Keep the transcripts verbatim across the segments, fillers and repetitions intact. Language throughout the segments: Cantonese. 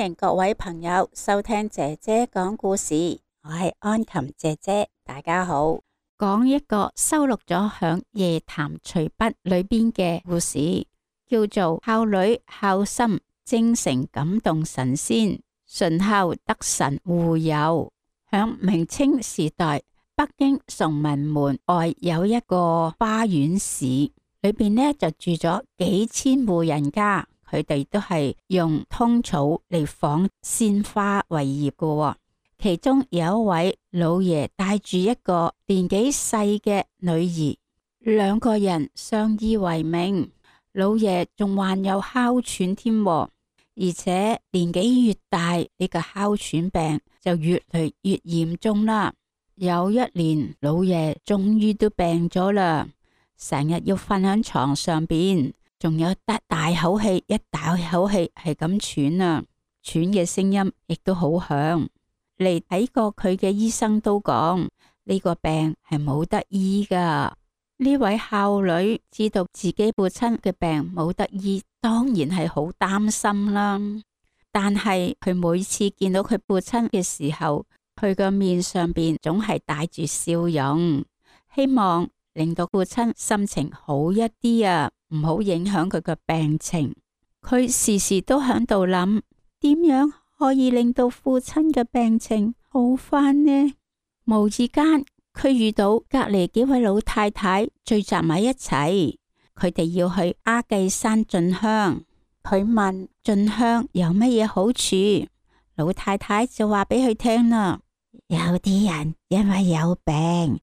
迎各位朋友收聽姐姐講故事，我係安琴姐姐，大家好。講一個收錄咗響《夜談隨筆》裏邊嘅故事，叫做孝女孝心，精誠感動神仙，順孝得神護佑。響明清時代，北京崇文門外有一個花園市，裏邊呢就住咗幾千戶人家，佢哋都係用通草嚟紡鮮花為業嘅。其中有一位老爺帶住一個年紀細嘅女兒，兩個人相依為命。老爺仲患有哮喘添，而且年紀越大，呢個哮喘病就越嚟越嚴重啦。有一年，老爺終於都病咗啦，成日要瞓喺床上邊，仲有得大口氣，一大口氣係咁喘啊，喘嘅聲音亦都好響。嚟睇過佢嘅醫生都講呢個病係冇得醫噶。呢位孝女知道自己父親嘅病冇得醫，當然係好擔心啦。但係佢每次見到佢父親嘅時候，佢個面上邊總係帶住笑容，希望令到父親心情好一啲啊，唔好影響佢嘅病情。佢時時都喺度諗點樣可以令到父親嘅病情好返呢？無意間佢遇到隔籬幾位老太太聚集埋一齊，佢哋要去阿髻山進香。佢問進香有乜嘢好處？老太太就話俾佢聽啦，有啲人因為有病，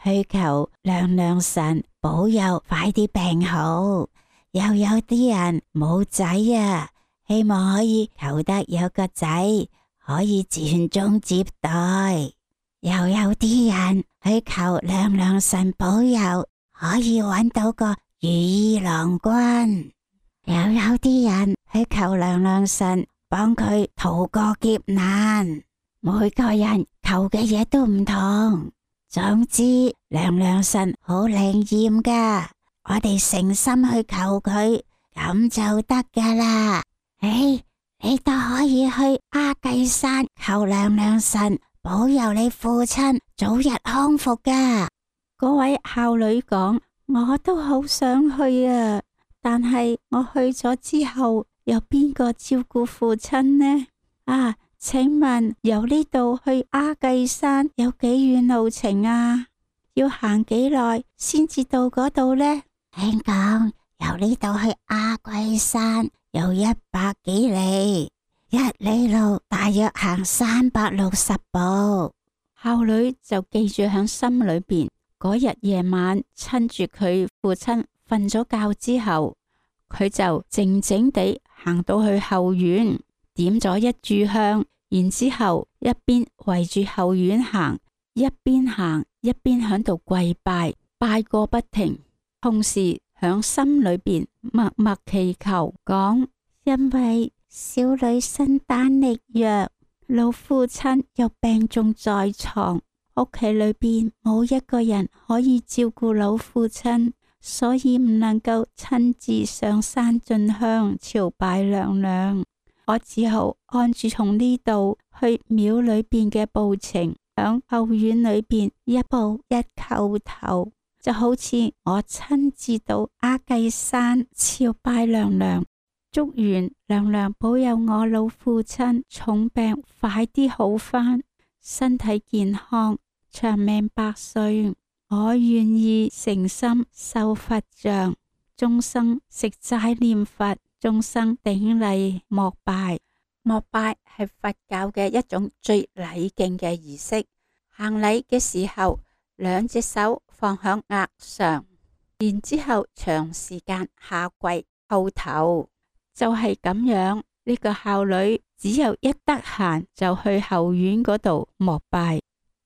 去求娘娘神保佑快啲病好，又有啲人冇仔啊，希望可以求得有個仔可以傳宗接代，又有啲人去求娘娘神保佑可以揾到個如意郎君，又有啲人去求娘娘神幫佢逃過劫難。每個人求嘅嘢都唔同，總之娘娘神好靈驗噶，我哋誠心去求佢咁就得噶啦。誒，你都可以去阿髻山求娘娘神保佑你父親早日康復噶。嗰位孝女講，我都好想去啊，但係我去咗之後，有邊個照顧父親呢？啊，請問由呢度去阿髻山有幾遠路程啊？要行幾耐先至到嗰度呢？聽講由呢度去阿髻山有一百幾里，一里路大約行三百六十步。孝女就記住響心裏邊。嗰日夜晚，趁住佢父親瞓咗覺之後，佢就靜靜地行到去後院，點咗一炷香，然之後一邊圍住後院行，一邊行一邊響度跪拜，拜個不停，同時響心裏邊默默祈求，講：因為小女身單力弱，老父親又病重在床，屋企裏邊冇一個人可以照顧老父親，所以唔能夠親自上山進香朝拜娘娘。我只好按住從呢度去廟裏邊嘅步程，響後院裏邊一步一叩頭，就好似我親自到阿髻山朝拜娘娘，祝願娘娘保佑我老父親重病快啲好返，身體健康，長命百歲。我願意誠心受佛像，終生食齋念佛，終生頂禮膜拜。膜拜係佛教嘅一種最禮敬嘅儀式。行禮嘅時候，兩隻手放響額上，然之後長時間下跪叩頭，就係、是、咁樣。呢、這個孝女只有一得閒就去後院嗰度膜拜。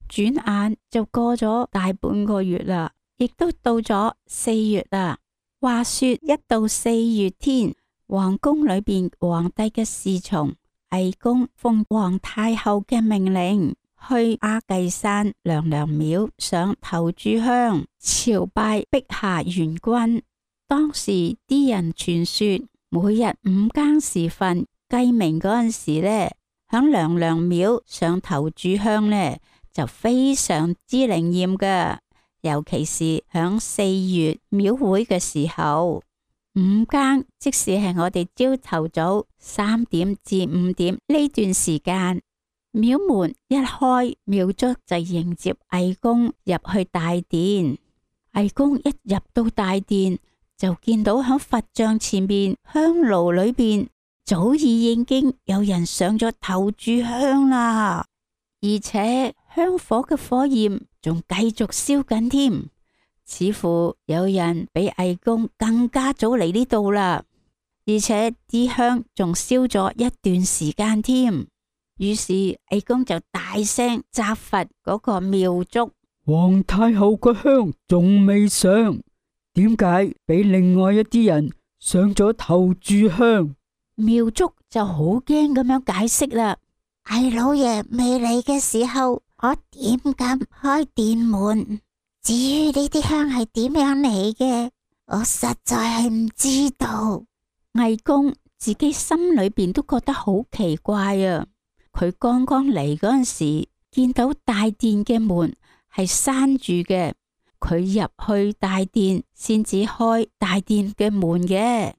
轉眼就過咗大半個月啦，亦都到咗四月啦。話說一到四月天，皇宮裏邊皇帝嘅侍從魏公奉皇太后嘅命令，去阿髻山娘娘廟上頭炷香朝拜碧霞元君。當時啲人傳說，每日五更時分雞鳴嗰陣時呢，響娘娘廟上頭炷香呢，就非常之靈驗㗎。尤其是響四月廟會嘅時候，五更即使係我哋朝頭早三點至五點呢段時間，廟門一開，廟祝就迎接藝公入去大殿。藝公一入到大殿，就見到響佛像前面香爐裏邊早已已經有人上咗頭炷香啦，而且香火嘅火焰仲繼續燒緊添，似乎有人比藝公更加早嚟呢度啦，而且啲香仲燒咗一段時間添。於是藝公就大聲責罰嗰個廟祝：皇太后個香仲未上，點解俾另外一啲人上咗頭炷香？廟祝就好驚咁樣解釋啦：藝老爺未嚟嘅時候，我點敢開殿門？至於呢啲香係點樣嚟嘅，我實在係唔知道。藝公自己心裏邊都覺得好奇怪啊！佢剛剛嚟嗰陣時，見到大殿嘅門係閂住嘅，佢入去大殿先至開大殿嘅門嘅。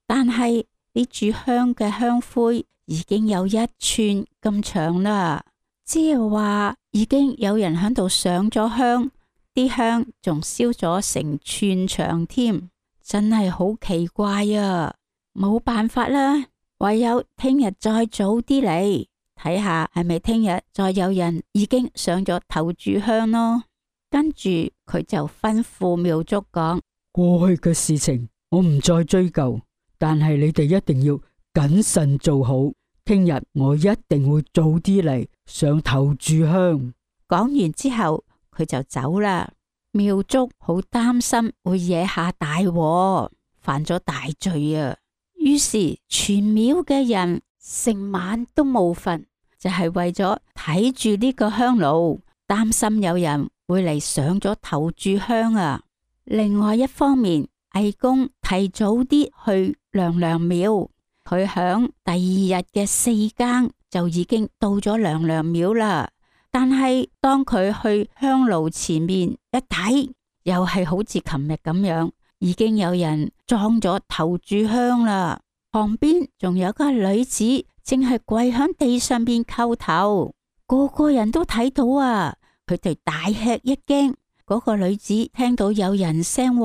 但係呢炷香嘅香灰已經有一寸咁長啦，即係話已經有人喺度上咗香，啲香仲燒咗成寸長添，真係好奇怪啊！冇辦法啦，唯有聽日再早啲嚟。睇下係咪聽日再有人已經上咗頭炷香咯。跟住佢就吩咐廟祝講：過去嘅事情我唔再追究，但係你哋一定要謹慎做好。聽日我一定會早啲嚟上頭炷香。講完之後佢就走啦。廟祝好擔心會惹下大禍，犯咗大罪啊！於是全廟嘅人成晚都冇瞓，就係為咗睇住呢個香爐，擔心有人會嚟上咗頭炷香啊！另外一方面，藝公提早啲去娘娘廟，佢響第二日嘅四更就已經到咗娘娘廟啦。但係當佢去香爐前面一睇，又係好似琴日咁樣，已經有人裝咗頭炷香啦。旁邊仲有個女子正係跪響地上邊叩頭，個個人都睇到啊！佢哋大吃一驚。嗰個女子聽到有人聲，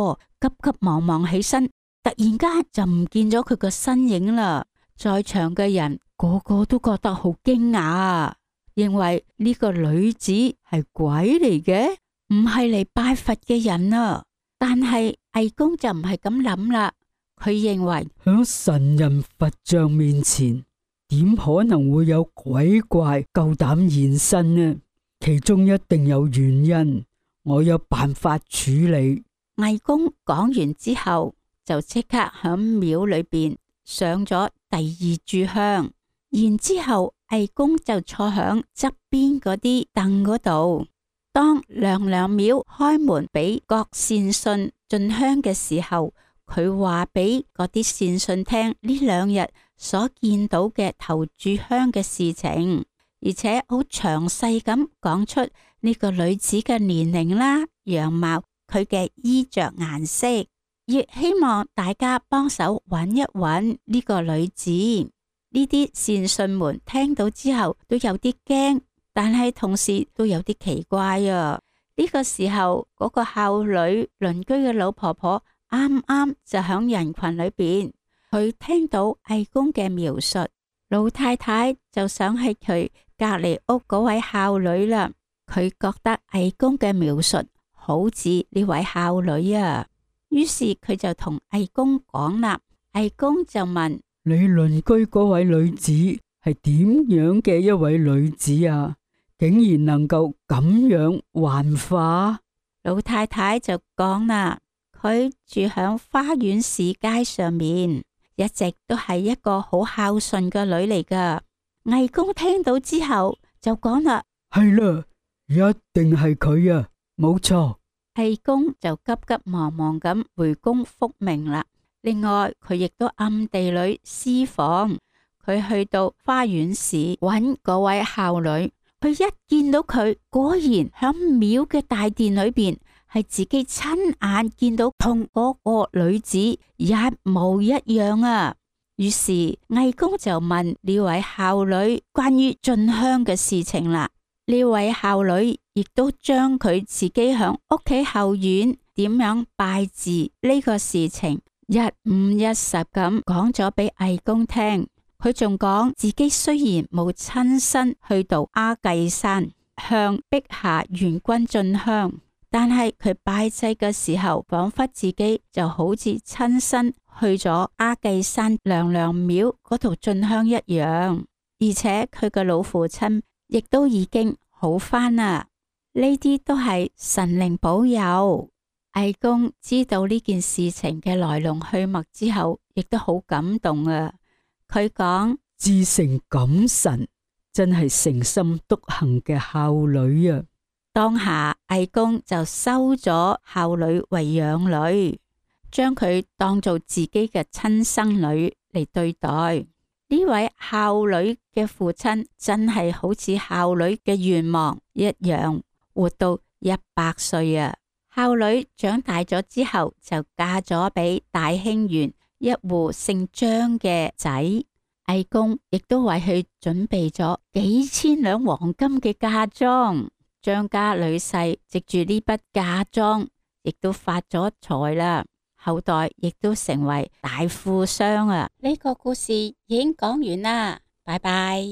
急急忙忙起身，突然間就唔見咗佢個身影啦。在場嘅人個個都覺得好驚訝啊，認為呢個女子係鬼嚟嘅，唔係嚟拜佛嘅人啊。但係藝公就唔係咁諗啦，佢認為響神人佛像面前，點可能會有鬼怪夠膽現身呢？其中一定有原因，我有辦法處理。藝公講完之後，就即刻響廟裏邊上咗第二炷香，然之後藝公就坐響側邊嗰啲凳嗰度。當娘娘廟開門俾各善信進香嘅時候，佢話俾嗰啲善信聽呢兩日所見到嘅頭炷香嘅事情，而且好詳細咁講出呢個女子嘅年齡啦、樣貌、佢嘅衣着顏色，亦希望大家幫手揾一揾呢個女子。呢啲善信們聽到之後都有啲驚，但係同時都有啲奇怪啊！呢個時候，嗰個孝女鄰居嘅老婆婆啱啱就響人群裏邊，佢聽到藝公嘅描述，老太太就想起佢隔籬屋嗰位孝女啦。佢覺得藝公嘅描述好似呢位孝女啊，於是佢就同藝公講啦。藝公就問：你鄰居嗰位女子係點樣嘅一位女子啊？竟然能夠咁樣幻化？老太太就講啦，佢住響花園市街上面，一直都係一個好孝順嘅女嚟噶。藝公聽到之後就講啦，係啦，一定係佢啊，冇錯。藝公就急急忙忙咁回宮復命啦。另外，佢亦都暗地裏私訪佢去到花園市揾嗰位孝女，佢一見到佢，果然響廟嘅大殿裏邊係自己親眼見到同嗰個女子一模一樣啊！於是魏公就問呢位孝女關於進香嘅事情啦。呢位孝女亦都將佢自己響屋企後院點樣拜祭呢個事情一五一十咁講咗俾魏公聽。佢仲講自己雖然冇親身去到阿髻山向碧霞元君進香，但係佢拜祭嘅時候，仿佛自己就好似親身去咗阿髻山娘娘廟嗰度進香一樣，而且佢嘅老父親亦都已經好返啦。呢啲都係神靈保佑。魏公知道呢件事情嘅來龍去脈之後，亦都好感動啊！佢講：至誠感神，真係誠心篤行嘅孝女啊！當下魏公就收咗孝女為養女，將佢當做自己嘅親生女嚟對待。呢位孝女嘅父親真係好似孝女嘅願望一樣，活到一百歲啊！孝女長大咗之後，就嫁咗俾大興縣一戶姓張嘅仔。魏公亦都為佢準備咗幾千兩黃金嘅嫁妝。張家女婿藉住呢筆嫁妝，亦都發咗財啦，後代亦都成為大富商啊！呢個故事已經講完啦，拜拜。